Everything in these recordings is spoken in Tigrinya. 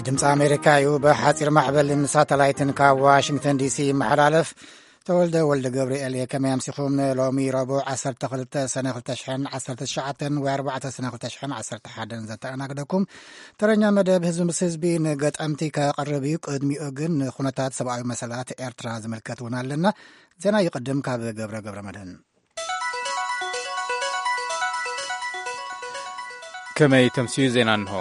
ድምፂ ኣሜሪካ እዩ። ብሓፂር ማዕበልን ሳተላይትን ካብ ዋሽንግተን ዲሲ ይመሓላለፍ። ተወልደ ወልደ ገብርኤል እየ። ከመይ ኣምሲኹም? ሎሚ ረቡዕ ዓሰርተ ክልተ ሰነ ክልተ ሽሕን ዓሰርተ ትሽዓተን ወይ ኣርባዕተ ሰነ ክልተ ሽሕን ዓሰርተ ሓደን ዘተኣናግደኩም ተረኛ መደብ ህዝቢ ምስ ህዝቢ ንገጠምቲ ከቕርብ እዩ። ቅድሚኡ ግን ንኩነታት ሰብኣዊ መሰላት ኤርትራ ዝምልከት እውን ኣለና። ዜና ይቕድም ካብ ገብረ ገብረ መድህን። ከመይ ተምስዩ ዜና እንሆ።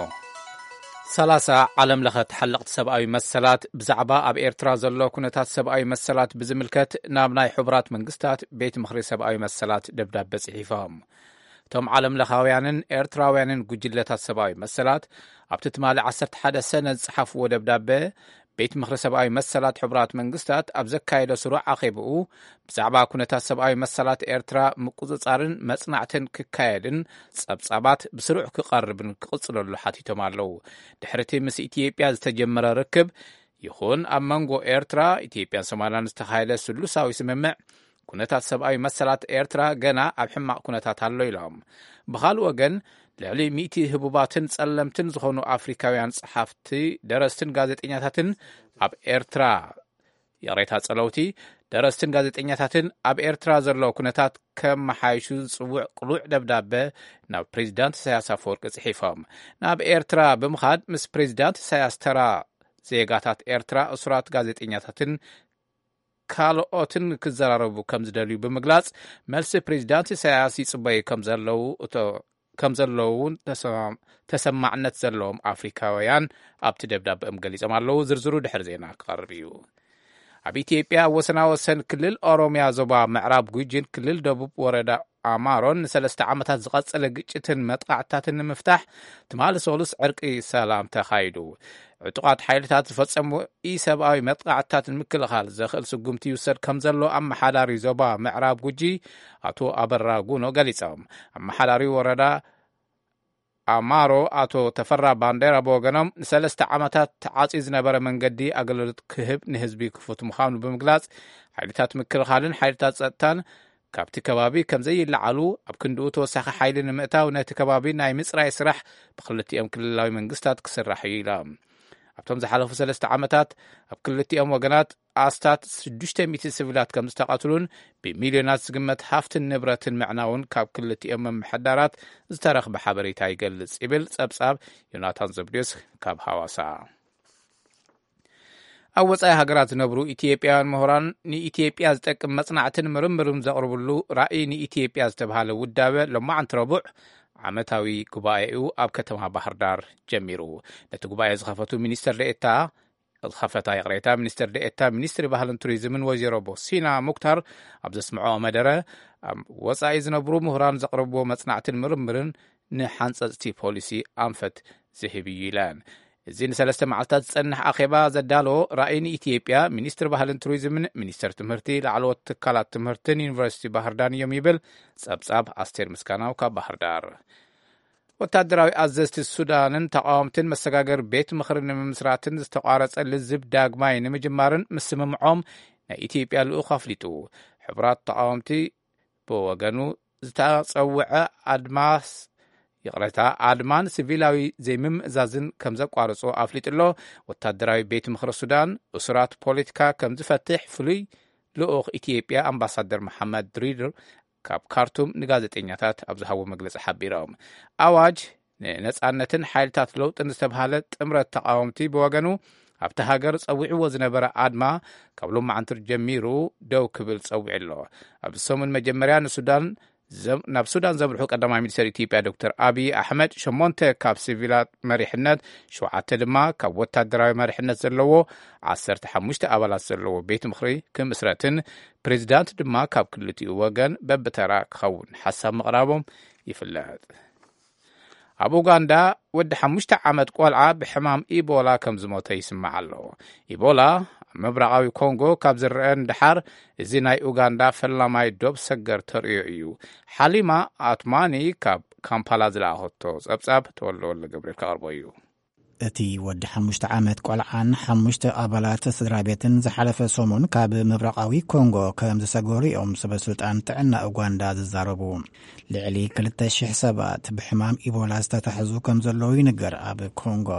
ሰላሳ ዓለም ለኸ ተሓለቕቲ ሰብኣዊ መሰላት ብዛዕባ ኣብ ኤርትራ ዘሎ ኩነታት ሰብኣዊ መሰላት ብዝምልከት ናብ ናይ ሕቡራት መንግስታት ቤት ምኽሪ ሰብኣዊ መሰላት ደብዳበ ጽሒፎም። እቶም ዓለም ለኻውያንን ኤርትራውያንን ጉጅለታት ሰብኣዊ መሰላት ኣብቲ ትማሊ ዓሰርተ ሓደ ሰነ ዝጸሓፍዎ ደብዳበ፣ ቤት ምኽሪ ሰብኣዊ መሰላት ሕቡራት መንግስታት ኣብ ዘካየዶ ስሩዕ ኣኼብኡ ብዛዕባ ኩነታት ሰብኣዊ መሰላት ኤርትራ ምቁጽጻርን መጽናዕትን ክካየድን ጸብጻባት ብስሩዕ ክቐርብን ክቕጽለሉ ሓቲቶም ኣለዉ። ድሕሪቲ ምስ ኢትዮጵያ ዝተጀመረ ርክብ ይኹን ኣብ መንጎ ኤርትራ፣ ኢትዮጵያን ሶማልያን ዝተኻየደ ስሉሳዊ ስምምዕ፣ ኩነታት ሰብኣዊ መሰላት ኤርትራ ገና ኣብ ሕማቕ ኩነታት ኣሎ ኢሎም። ብኻልእ ወገን፣ ልዕሊ ሚእቲ ህቡባትን ጸለምትን ዝኾኑ ኣፍሪካውያን ጸሓፍቲ፣ ደረስትን ጋዜጠኛታትን ኣብ ኤርትራ፣ ይቕሬታ፣ ጸለውቲ፣ ደረስትን ጋዜጠኛታትን ኣብ ኤርትራ ዘሎ ኩነታት ከመሓይሹ ዝጽውዕ ቅሉዕ ደብዳበ ናብ ፕሬዚዳንት ኢሳያስ ኣፈወርቂ ጽሒፎም። ናብ ኤርትራ ብምኻድ ምስ ፕሬዚዳንት ኢሳያስ ተራ ዜጋታት ኤርትራ፣ እሱራት ጋዜጠኛታትን ካልኦትን ክዘራረቡ ከም ዝደልዩ ብምግላጽ፣ መልሲ ፕሬዚዳንት ኢሳያስ ይጽበዩ ከም ዘለዉ እቶ-፣ ከም ዘለዉ እውን ተሰማ-፣ ተሰማዕነት ዘለዎም ኣፍሪካውያን ኣብቲ ደብዳበኦም ገሊጾም ኣለዉ። ዝርዝሩ ድሕሪ ዜና ክቐርብ እዩ። ኣብ ኢትዮጵያ ኣብ ወሰና ወሰን ክልል ኦሮሚያ ዞባ ምዕራብ ጉጂን ክልል ደቡብ ወረዳ ኣማሮን ንሰለስተ ዓመታት ዝቐጸለ ግጭትን መጥቃዕትታትን ንምፍታሕ ትማሊ ሰሉስ ዕርቂ ሰላም ተኻይዱ። ዕጡቓት ሓይልታት ዝፈጸሙ ኢሰብኣዊ መጥቃዕትታት ንምክልኻል ዘኽእል ስጉምቲ ይውሰድ ከም ዘሎ ኣመሓዳሪ ዞባ ምዕራብ ጉጂ ኣቶ ኣበራ ጉኖ ገሊጾም። ኣመሓዳሪ ወረዳ ኣማሮ ኣቶ ተፈራ ባንዴራ ብወገኖም፣ ንሰለስተ ዓመታት ተዓጽዩ ዝነበረ መንገዲ ኣገልግሎት ክህብ ንህዝቢ ክፉት ምዃኑ ብምግላጽ፣ ሓይልታት ምክልኻልን ሓይልታት ጸጥታን ካብቲ ከባቢ ከም ዘይለዓሉ፣ ኣብ ክንድኡ ተወሳኺ ሓይሊ ንምእታው ነቲ ከባቢ ናይ ምጽራይ ስራሕ ብክልቲኦም ክልላዊ መንግስታት ክስራሕ እዩ ኢሎም። ኣብቶም ዝሓለፉ ሰለስተ ዓመታት ኣብ ክልቲኦም ወገናት ኣስታት ሽዱሽተ ሚእቲ ሲቪላት ከም ዝተቐትሉን ብሚልዮናት ዝግመት ሃፍትን ንብረትን ምዕናውን ካብ ክልቲኦም ምምሕዳራት ዝተረኽበ ሓበሬታ ይገልጽ ይብል ጸብጻብ ዮናታን ዘብድዮስ ካብ ሃዋሳ። ኣብ ወጻኢ ሃገራት ዝነብሩ ኢትዮጵያውያን ምሁራን ንኢትዮጵያ ዝጠቅም መጽናዕትን ምርምርን ዘቕርብሉ ራእይ ንኢትዮጵያ ዝተባህለ ውዳበ ሎማዓንቲ ረቡዕ ዓመታዊ ጉባኤኡ ኣብ ከተማ ባህር ዳር ጀሚሩ። ነቲ ጉባኤ ዝኸፈቱ ሚኒስትር ደኤታ ዝኸፈታ፣ ይቕሬታ፣ ሚኒስትር ደኤታ ሚኒስትሪ ባህልን ቱሪዝምን ወይዘሮ ቦሲና ሙክታር ኣብ ዘስምዐኦ መደረ፣ ኣብ ወጻኢ ዝነብሩ ምሁራን ዘቕረብዎ መጽናዕትን ምርምርን ንሓንጸጽቲ ፖሊሲ ኣንፈት ዝህብ እዩ ኢለን። እዚ ንሰለስተ መዓልታት ዝጸንሕ ኣኼባ ዘዳለዎ ራእይ ንኢትዮጵያ፣ ሚኒስትሪ ባህልን ቱሪዝምን፣ ሚኒስትር ትምህርቲ፣ ላዕለዎት ትካላት ትምህርትን ዩኒቨርሲቲ ባህር ዳር እዮም ይብል ጸብጻብ ኣስቴር ምስጋናው ካብ ባህር ዳር። ወታደራዊ ኣዘዝቲ ሱዳንን ተቃወምትን መሰጋገር ቤት ምኽሪ ንምምስራትን ዝተቋረጸ ልዝብ ዳግማይ ንምጅማርን ምስምምዖም ናይ ኢትዮጵያ ልኡኽ ኣፍሊጡ። ሕቡራት ተቃወምቲ ብወገኑ ዝተጸውዐ ኣድማስ፣ ይቕረታ፣ ኣድማን ሲቪላዊ ዘይምምእዛዝን ከም ዘቋርጾ ኣፍሊጡ ኣሎ። ወታደራዊ ቤት ምኽሪ ሱዳን እሱራት ፖለቲካ ከም ዝፈትሕ ፍሉይ ልኡኽ ኢትዮጵያ ኣምባሳደር መሓመድ ድሪር ካብ ካርቱም ንጋዜጠኛታት ኣብ ዝሃቦ መግለጺ ሓቢሮም። ኣዋጅ ንነጻነትን ሓይልታት ለውጥን ዝተባህለ ጥምረት ተቃወምቲ ብወገኑ ኣብቲ ሃገር ጸዊዕዎ ዝነበረ ኣድማ ካብ ሎማዓንቲ ጀሚሩ ደው ክብል ጸዊዑ ኣሎ። ኣብዚ ሰሙን መጀመርያ ንሱዳን ዘም-፣ ናብ ሱዳን ዘምርሑ ቀዳማይ ሚኒስትር ኢትዮጵያ ዶክተር ኣቢይ ኣሕመድ ሸሞንተ ካብ ሲቪላት መሪሕነት፣ ሸውዓተ ድማ ካብ ወታደራዊ መሪሕነት ዘለዎ ዓሰርተ ሓሙሽተ ኣባላት ዘለዎ ቤት ምኽሪ ክምስረትን ፕሬዚዳንት ድማ ካብ ክልቲኡ ወገን በብተራ ክኸውን ሓሳብ ምቕራቦም ይፍለጥ። ኣብ ኡጋንዳ ወዲ ሓሙሽተ ዓመት ቆልዓ ብሕማም ኢቦላ ከም ዝሞተ ይስማዕ ኣሎ። ኢቦላ ኣብ ምብራቓዊ ኮንጎ ካብ ዝረአ ንደሓር፣ እዚ ናይ ኡጋንዳ ፈላማይ ዶብ ሰገር ተርእዮ እዩ። ሓሊማ ኣትማኒ ካብ ካምፓላ ዝለኣኸቶ ጸብጻብ ተወልደ ወልደ ገብርኤል ከቕርቦ እዩ። እቲ ወዲ ሓሙሽተ ዓመት ቆልዓን ሓሙሽተ ኣባላት ስድራ ቤትን ዝሓለፈ ሰሙን ካብ ምብራቓዊ ኮንጎ ከም ዝሰገሩ እዮም ሰበ ስልጣን ጥዕና ኡጋንዳ ዝዛረቡ። ልዕሊ ክልተ ሽሕ ሰባት ብሕማም ኢቦላ ዝተታሕዙ ከም ዘለዉ ይንገር ኣብ ኮንጎ።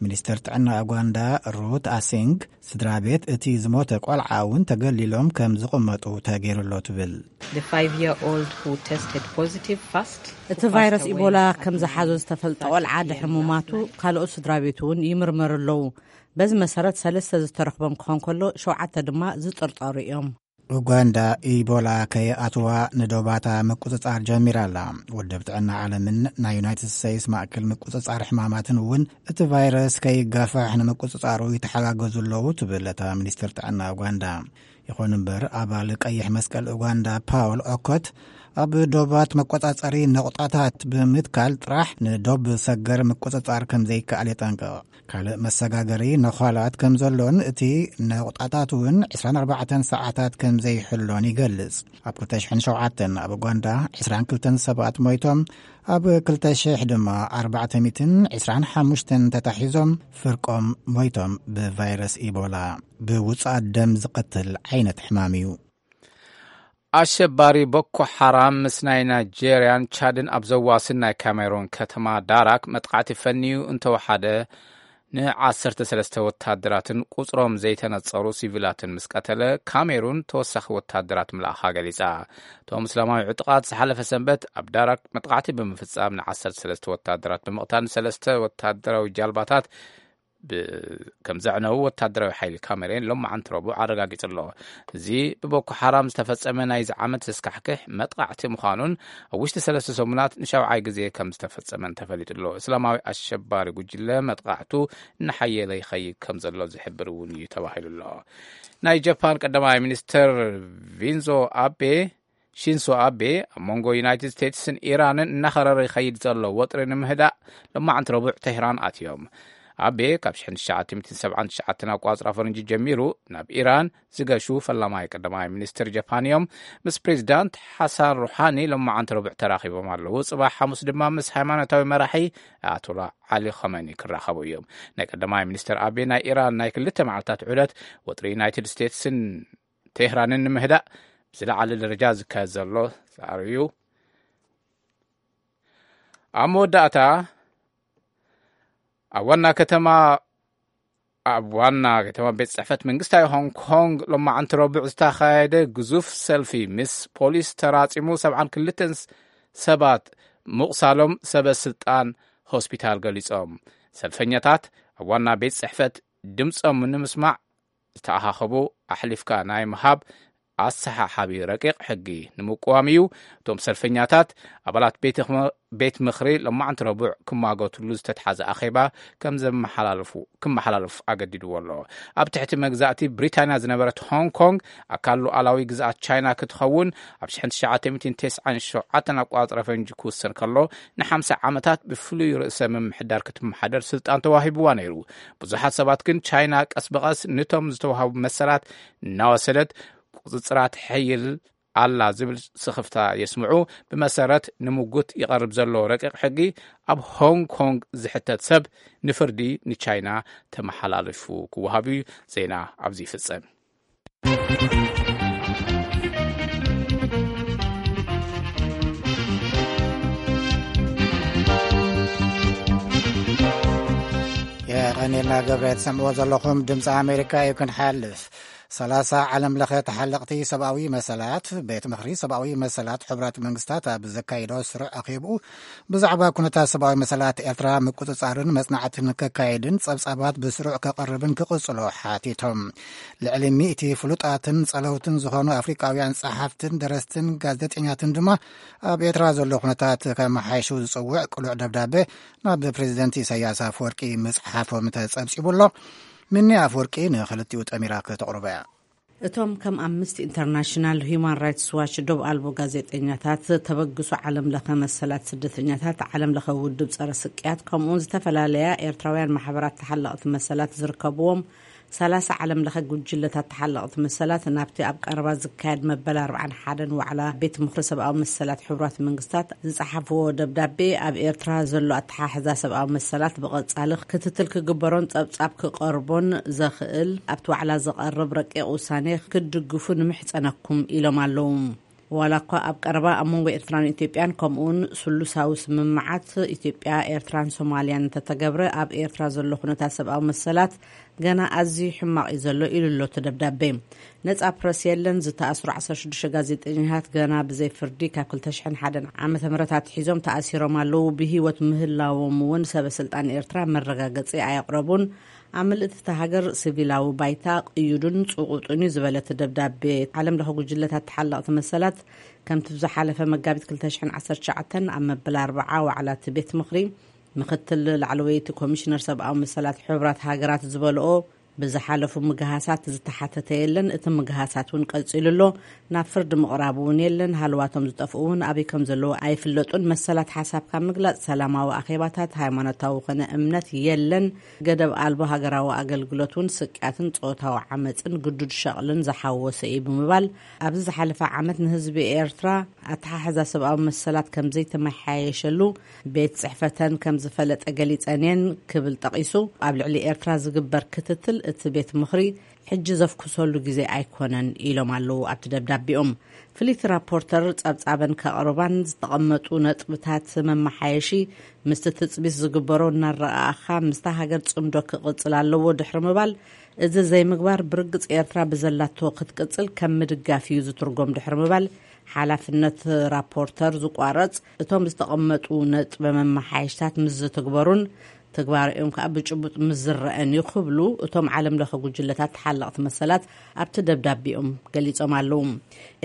ሚኒስትር ጥዕና ኡጋንዳ ሩት ኣሲንግ፣ ስድራ ቤት እቲ ዝሞተ ቆልዓ እውን ተገሊሎም ከም ዝቕመጡ ተገይሩሎ ትብል። The five year old who tested positive first እቲ ቫይረስ ኢቦላ ከም ዝሓዞ ዝተፈልጠ ቆልዓ ድሕሪ ምማቱ፣ ካልኦት ስድራ ቤቱ እውን ይምርመሩ ኣለዉ። በዚ መሰረት፣ ሰለስተ ዝተረኽቦም ክኾን ከሎ፣ ሸውዓተ ድማ ዝጥርጠሩ እዮም። ኡጋንዳ ኢቦላ ከይኣትዋ ንዶባታ ምቁጽጻር ጀሚራ ኣላ። ውድብ ጥዕና ዓለምን ናይ ዩናይትድ ስቴትስ ማእከል ምቁጽጻር ሕማማትን እውን እቲ ቫይረስ ከይጋፋሕ ንምቁጽጻሩ ይተሓጋገዙ ኣለዉ ትብል እታ ሚኒስትር ጥዕና ኡጋንዳ። ይኹን እምበር፣ ኣባል ቀይሕ መስቀል ኡጋንዳ ፓውል ኦኮት፣ ኣብ ዶባት መቆጻጸሪ ነቑጣታት ብምትካል ጥራሕ ንዶብ ሰገር ምቁጽጻር ከም ዘይከኣል የጠንቅቕ። ካልእ መሰጋገሪ ነዃላት ከም ዘሎን፣ እቲ ነቑጣታት እውን ዕስራን ኣርባዕተን ሰዓታት ከም ዘይሕሎን ይገልጽ። ኣብ ክልተ ሽሕን ሸውዓተን ኣብ ኡጋንዳ ዕስራን ክልተን ሰባት ሞይቶም፣ ኣብ ክልተ ሽሕ ድማ ኣርባዕተ ሚእትን ዕስራን ሓሙሽተን ተታሒዞም፣ ፍርቆም ሞይቶም። ብቫይረስ ኢቦላ፣ ብውጽኣት ደም ዝቐትል ዓይነት ሕማም እዩ። ኣሸባሪ ቦኮ ሓራም ምስ ናይ ናይጄርያን ቻድን ኣብ ዘዋስን ናይ ካሜሩን ከተማ ዳራክ መጥቃዕቲ ፈንዩ እንተወሓደ፣ ንዓሰርተ ሰለስተ ወታደራትን ቁጽሮም ዘይተነጸሩ ሲቪላትን ምስ ቀተለ፣ ካሜሩን ተወሳኺ ወታደራት ምልኣኻ ገሊጻ። እቶም እስላማዊ ዕጡቓት ዝሓለፈ ሰንበት ኣብ ዳራክ መጥቃዕቲ ብምፍጻም፣ ንዓሰርተ ሰለስተ ወታደራት ብምቕታል፣ ንሰለስተ ወታደራዊ ጃልባታት ብ-፣ ከም ዘዕነዉ ወታደራዊ ሓይሊ ካሜሩን ሎማዓንቲ ረቡዕ ኣረጋጊጹ ኣሎ። እዚ ብቦኮ ሓራም ዝተፈጸመ ናይዚ ዓመት ዘስካሕክሕ መጥቃዕቲ ምዃኑን፣ ኣብ ውሽጢ ሰለስተ ሰሙናት ንሻውዓይ ግዜ ከም ዝተፈጸመን ተፈሊጡ ኣሎ። እስላማዊ ኣሸባሪ ጉጅለ መጥቃዕቱ እናሓየለ ይኸይድ ከም ዘሎ ዝሕብር እውን እዩ ተባሂሉ ኣሎ። ናይ ጃፓን ቀዳማይ ሚኒስትር ቪንዞ ኣቤ፣ ሺንሶ ኣቤ፣ ኣብ መንጎ ዩናይትድ ስቴትስን ኢራንን እናኸረረ ይኸይድ ዘሎ ወጥሪ ንምህዳእ፣ ሎማዓንቲ ረቡዕ ቴህራን ኣትዮም። ኣቤ፣ ካብ ሽሕን ትሽዓተ ሚእትን ሰብዓን ትሽዓተን ኣቋጽራ ፈረንጂ ጀሚሩ ናብ ኢራን ዝገሹ ፈላማይ ቀዳማይ ሚኒስትር ጃፓን እዮም። ምስ ፕሬዚዳንት ሓሳን ሩሓኒ ሎማዓንቲ ረቡዕ ተራኺቦም ኣለዉ። ጽባሕ ሓሙስ ድማ ምስ ሃይማኖታዊ መራሒ ኣያቶላ ዓሊ ኸመኒ ክራኸቡ እዮም። ናይ ቀዳማይ ሚኒስትር ኣቤ ናይ ኢራን ናይ ክልተ መዓልታት ዑደት፣ ወጥሪ ዩናይትድ ስቴትስን ቴህራንን ንምህዳእ ብዝለዓለ ደረጃ ዝካየድ ዘሎ ጻዕሪ እዩ። ኣብ መወዳእታ፣ ኣብ ዋና ከተማ፣ ኣብ ዋና ከተማ ቤት ጽሕፈት መንግስታዊ ሆንግ ኮንግ ሎማዓንቲ ረቡዕ ዝተኻየደ ግዙፍ ሰልፊ፣ ምስ ፖሊስ ተራጺሙ፣ ሰብዓን ክልተን ሰባት ምቑሳሎም ሰበ ስልጣን ሆስፒታል ገሊጾም። ሰልፈኛታት ኣብ ዋና ቤት ጽሕፈት ድምጾም ንምስማዕ ዝተኣኻኸቡ፣ ኣሕሊፍካ ናይ ምሃብ ኣሰሓሓቢ ረቂቕ ሕጊ ንምቅዋም እዩ። እቶም ሰልፈኛታት፣ ኣባላት ቤት ኽመ-፣ ቤት ምኽሪ ሎማዕንቲ ረቡዕ ክማገቱሉ ዝተትሓዘ ኣኼባ ከም ዘመሓላልፉ፣ ክመሓላለፍ ኣገዲድዎ ኣሎ። ኣብ ትሕቲ መግዛእቲ ብሪታንያ ዝነበረት ሆንግ ኮንግ፣ ኣካል ሉዓላዊ ግዝኣት ቻይና ክትኸውን፣ ኣብ ሽሕን ትሽዓተ ሚእትን ተስዓን ሸውዓተን ኣቋጽረ ፈንጂ ክውሰን ከሎ፣ ንሓምሳ ዓመታት ብፍሉይ ርእሰ ምምሕዳር ክትመሓደር ስልጣን ተዋሂብዋ ነይሩ። ብዙሓት ሰባት ግን፣ ቻይና ቀስ ብቐስ ንቶም ዝተዋህቡ መሰላት እናወሰደት፣ ቁጽጽራት ሕይል ኣላ ዝብል ስኽፍታ የስምዑ። ብመሰረት ንምጉት ይቐርብ ዘሎ ረቂቕ ሕጊ፣ ኣብ ሆንግ ኮንግ ዝሕተት ሰብ ንፍርዲ ንቻይና ተመሓላልፉ ክወሃብ እዩ። ዜና ኣብዚ ይፍጸም። የቐኔልና ገብረ። ትሰምዕዎ ዘለኹም ድምፂ ኣሜሪካ እዩ። ክንሓልፍ፣ ሰላሳ ዓለም ለኸ ተሓለቕቲ ሰብኣዊ መሰላት፣ ቤት ምኽሪ ሰብኣዊ መሰላት ሕቡራት መንግስታት ኣብ ዘካየዶ ስሩዕ ኣኼብኡ፣ ብዛዕባ ኩነታት ሰብኣዊ መሰላት ኤርትራ ምቁጽጻርን መጽናዕትን ከካየድን ጸብጻባት ብስሩዕ ከቕርብን ክቕጽሎ ሓቲቶም። ልዕሊ ሚእቲ ፍሉጣትን ጸለውትን ዝኾኑ ኣፍሪቃውያን ጸሓፍትን ደረስትን ጋዜጠኛትን ድማ ኣብ ኤርትራ ዘሎ ኩነታት ከመሓይሹ ዝጽውዕ ቅሉዕ ደብዳቤ ናብ ፕሬዚደንት ኢሳያስ ኣፈወርቂ ምጽሓፎም ተጸብጺቡ ኣሎ። ሚኒ ኣፈወርቂ ንኽልቲኡ ጠሚራ ከተቕርቦ እያ። እቶም ከም ኣምነስቲ ኢንተርናሽናል፣ ሁማን ራይትስ ዋች፣ ዶብ ኣልቦ ጋዜጠኛታት፣ ተበግሶ ዓለም ለኸ መሰላት ስደተኛታት፣ ዓለም ለኸ ውድብ ጸረ ስቅያት፣ ከምኡውን ዝተፈላለያ ኤርትራውያን ማሕበራት ተሓለቕቲ መሰላት ዝርከብዎም ሰላሳ ዓለም ለኸ ጉጅለታት ተሓለቕቲ መሰላት፣ ናብቲ ኣብ ቀረባ ዝካየድ መበል ኣርባዓን ሓደን ዋዕላ ቤት ምኽሪ ሰብኣዊ መሰላት ሕቡራት መንግስታት ዝጸሓፍዎ ደብዳቤ፣ ኣብ ኤርትራ ዘሎ ኣተሓሕዛ ሰብኣዊ መሰላት ብቐጻሊ ክትትል ክግበሮን ጸብጻብ ክቐርቦን ዘኽእል ኣብቲ ዋዕላ ዝቐርብ ረቂቕ ውሳኔ ክትድግፉ ንምሕጸነኩም ኢሎም ኣለዉ። ዋላ እኳ ኣብ ቀረባ ኣብ መንጎ ኤርትራን ኢትዮጵያን ከምኡውን ስሉሳዊ ስምምዓት ኢትዮጵያ፣ ኤርትራን ሶማልያን እንተተገብረ፣ ኣብ ኤርትራ ዘሎ ኩነታት ሰብኣዊ መሰላት ገና ኣዝዩ ሕማቕ እዩ ዘሎ ኢሉ ኣሎ እቲ ደብዳቤ። ነጻ ፕረስ የለን፣ ዝተኣስሩ ዓሰርተ ሽዱሽተ ጋዜጠኛታት ገና ብዘይ ፍርዲ ካብ ክልተ ሽሕን ሓደን ዓመተ ምህረት ኣትሒዞም ተኣሲሮም ኣለዉ፣ ብህይወት ምህላዎም እውን ሰበ ስልጣን ኤርትራ መረጋገጺ ኣየቕረቡን። ኣብ ምልእቲ እታ ሃገር ሲቪላዊ ባይታ ቅዩድን ጽቑጡን እዩ ዝበለ እቲ ደብዳቤ፣ ዓለም ለኸ ጉጅለታት ተሓለቕቲ መሰላት ከምቲ ብዝሓለፈ መጋቢት ክልተ ሽሕን ዓሰርተ ትሽዓተን ኣብ መበል ኣርብዓ ዋዕላ እቲ ቤት ምኽሪ ምኽትል ላዕለወይቲ ኮሚሽነር ሰብኣዊ መሰላት ሕቡራት ሃገራት ዝበልኦ፣ ብዝሓለፉ ምግሃሳት ዝተሓተተ የለን፣ እቲ ምግሃሳት እውን ቀጺሉ ኣሎ፣ ናብ ፍርዲ ምቕራብ እውን የለን፣ ሃለዋቶም ዝጠፍኡ እውን ኣበይ ከም ዘለዉ ኣይፍለጡን፣ መሰላት ሓሳብካ ምግላጽ፣ ሰላማዊ ኣኼባታት፣ ሃይማኖታዊ ኮነ እምነት የለን፣ ገደብ ኣልቦ ሃገራዊ ኣገልግሎት እውን ስቅያትን ጾታዊ ዓመጽን ግዱድ ሸቕልን ዝሓወሰ እዩ ብምባል፣ ኣብዚ ዝሓለፈ ዓመት ንህዝቢ ኤርትራ ኣተሓሕዛ ሰብኣዊ መሰላት ከም ዘይተመሓየሸሉ ቤት ጽሕፈተን ከም ዝፈለጠ ገሊጸን እየን ክብል ጠቒሱ፣ ኣብ ልዕሊ ኤርትራ ዝግበር ክትትል እቲ ቤት ምኽሪ ሕጂ ዘፍኩሰሉ ግዜ ኣይኮነን ኢሎም ኣለዉ ኣብቲ ደብዳቤኦም። ፍልይቲ ራፖርተር ጸብጻበን ከቕርባን ዝተቐመጡ ነጥብታት መመሓየሺ ምስቲ ትጽቢት ዝግበሮ እናረኣኻ ምስታ ሃገር ጽምዶ ክቕጽል ኣለዎ ድሕሪ ምባል፣ እዚ ዘይምግባር ብርግጽ ኤርትራ ብዘላቶ ክትቅጽል ከም ምድጋፍ እዩ ዝትርጎም ድሕሪ ምባል፣ ሓላፍነት ራፖርተር ዝቋረጽ እቶም ዝተቐመጡ ነጥበ መመሓየሽታት ምስ ዝትግበሩን ትግባርኦም ከኣ ብጭቡጥ ምስ ዝረአን እዩ ክብሉ እቶም ዓለም ለኸ ጉጅለታት ተሓለቕቲ መሰላት ኣብቲ ደብዳቤኦም ገሊጾም ኣለዉ።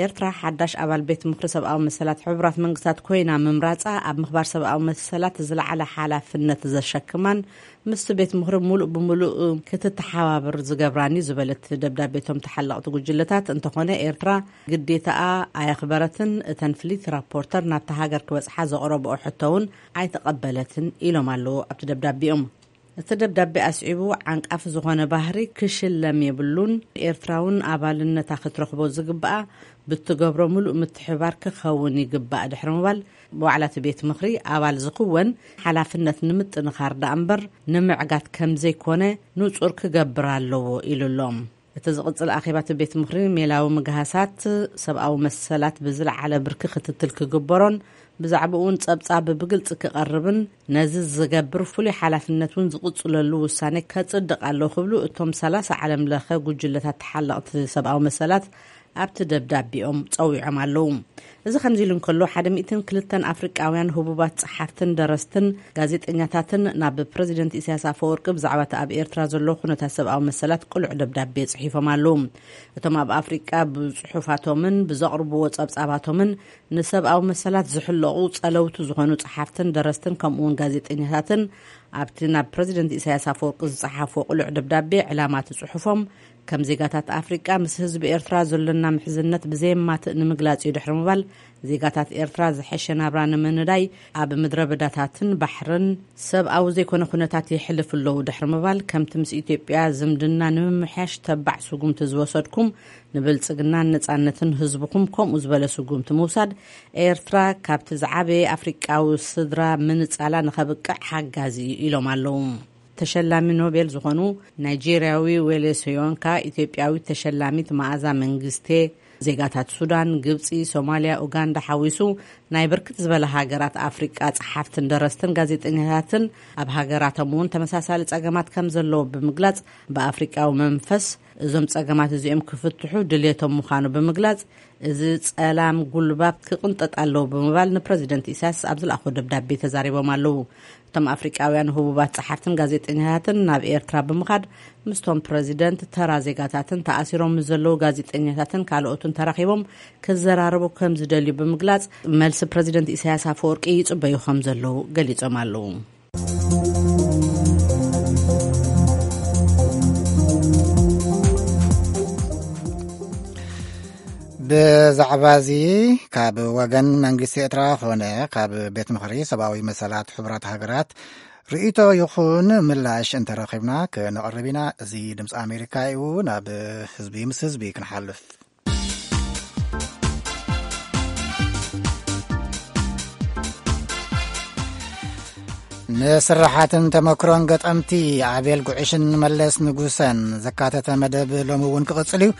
ኤርትራ ሓዳሽ ኣባል ቤት ምኽሪ ሰብኣዊ መሰላት ሕቡራት መንግስታት ኮይና ምምራጻ ኣብ ምኽባር ሰብኣዊ መሰላት ዝለዓለ ሓላፍነት ዘሸክማን ምስቲ ቤት ምኽሪ ሙሉእ ብሙሉእ ክትተሓባበር ዝገብራን እዩ ዝበለት ደብዳቤ እቶም ተሓለቕቲ ጉጅለታት፣ እንተኾነ ኤርትራ ግዴታኣ ኣየኽበረትን፣ እተን ፍልይቲ ራፖርተር ናብታ ሃገር ክበጽሓ ዘቕረብኦ ሕቶ እውን ኣይተቐበለትን ኢሎም ኣለዉ ኣብቲ ደብዳቤኦም። እቲ ደብዳቤ ኣስዒቡ፣ ዓንቃፊ ዝኾነ ባህሪ ክሽለም የብሉን፣ ኤርትራ እውን ኣባልነታ ክትረኽቦ ዝግብኣ ብትገብሮ ሙሉእ ምትሕባር ክኸውን ይግባእ ድሕሪ ምባል፣ ብዋዕላ እቲ ቤት ምኽሪ ኣባል ዝኽወን ሓላፍነት ንምጥንኻር ደኣ እምበር ንምዕጋት ከም ዘይኮነ ንጹር ክገብር ኣለዎ ኢሉ ኣሎ። እቲ ዝቕጽል ኣኼባ እቲ ቤት ምኽሪ ሜላዊ ምግሃሳት ሰብኣዊ መሰላት ብዝለዓለ ብርኪ ክትትል ክግበሮን ብዛዕባኡ እውን ጸብጻብ ብግልጺ ክቐርብን ነዚ ዝገብር ፍሉይ ሓላፍነት እውን ዝቕጽለሉ ውሳኔ ከጽድቕ ኣሎ ክብሉ እቶም ሰላሳ ዓለም ለኸ ጉጅለታት ተሓለቕቲ ሰብኣዊ መሰላት ኣብቲ ደብዳቤኦም ጸዊዖም ኣለዉ። እዚ ከምዚ ኢሉ እንከሎ፣ ሓደ ሚእትን ክልተን ኣፍሪቃውያን ህቡባት ጸሓፍትን ደረስትን ጋዜጠኛታትን ናብ ፕረዚደንት ኢሳያስ ኣፈወርቂ ብዛዕባ እቲ ኣብ ኤርትራ ዘሎ ኩነታት ሰብኣዊ መሰላት ቅሉዕ ደብዳቤ ጽሒፎም ኣለዉ። እቶም ኣብ ኣፍሪቃ ብጽሑፋቶምን ብዘቕርብዎ ጸብጻባቶምን ንሰብኣዊ መሰላት ዝሕለቑ ጸለውቲ ዝኾኑ ጸሓፍትን ደረስትን ከምኡውን ጋዜጠኛታትን ኣብቲ ናብ ፕረዚደንት ኢሳያስ ኣፈወርቂ ዝጸሓፎ ቅሉዕ ደብዳቤ ዕላማ እቲ ጽሑፎም ከም ዜጋታት ኣፍሪቃ ምስ ህዝቢ ኤርትራ ዘሎና ምሕዝነት ብዘየማትእ ንምግላጽ እዩ ድሕሪ ምባል፣ ዜጋታት ኤርትራ ዝሐሸ ናብራ ንምንዳይ ኣብ ምድረ በዳታትን ባሕርን ሰብኣዊ ዘይኮነ ኩነታት የሕልፍ ኣለዉ ድሕሪ ምባል፣ ከምቲ ምስ ኢትዮጵያ ዝምድና ንምምሕያሽ ተባዕ ስጉምቲ ዝወሰድኩም፣ ንብልጽግናን ነጻነትን ህዝብኹም ከምኡ ዝበለ ስጉምቲ ምውሳድ፣ ኤርትራ ካብቲ ዝዓበየ ኣፍሪቃዊ ስድራ ምንጻላ ንኸብቅዕ ሓጋዚ እዩ ኢሎም ኣለዉ። ተሸላሚ ኖቤል ዝኾኑ ናይጄርያዊ ዌሌ ሶዮንካ፣ ኢትዮጵያዊት ተሸላሚት መኣዛ መንግስቴ፣ ዜጋታት ሱዳን፣ ግብጺ፣ ሶማልያ፣ ኡጋንዳ ሓዊሱ ናይ ብርክት ዝበለ ሃገራት ኣፍሪቃ ጸሓፍትን ደረስትን ጋዜጠኛታትን ኣብ ሃገራቶም እውን ተመሳሳሊ ጸገማት ከም ዘለዎ ብምግላጽ፣ ብኣፍሪቃዊ መንፈስ እዞም ጸገማት እዚኦም ክፍትሑ ድልየቶም ምዃኑ ብምግላጽ፣ እዚ ጸላም ጉልባብ ክቕንጠጥ ኣለዎ ብምባል ንፕረዚደንት ኢሳያስ ኣብ ዝለኣኽዎ ደብዳቤ ተዛሪቦም ኣለዉ። እቶም ኣፍሪቃውያን ህቡባት ጸሓፍትን ጋዜጠኛታትን ናብ ኤርትራ ብምኻድ ምስቶም ፕረዚደንት፣ ተራ ዜጋታትን ተኣሲሮም ምስ ዘለዉ ጋዜጠኛታትን ካልኦትን ተራኺቦም ክዘራረቡ ከም ዝደልዩ ብምግላጽ፣ መልሲ ፕረዚደንት ኢሳያስ ኣፈወርቂ ይጽበዩ ከም ዘለዉ ገሊጾም ኣለዉ። ብዛዕባ እዚ ካብ ወገን መንግስቲ ኤርትራ ኾነ ካብ ቤት ምኽሪ ሰብኣዊ መሰላት ሕቡራት ሃገራት ርእይቶ ይኹን ምላሽ እንተረኺብና ክነቕርብ ኢና። እዚ ድምፂ ኣሜሪካ እዩ። ናብ ህዝቢ ምስ ህዝቢ ክንሓልፍ። ንስራሓትን ተመክሮን ገጠምቲ ኣቤል ጉዕሽን መለስ ንጉሰን ዘካተተ መደብ ሎሚ እውን ክቕጽል እዩ።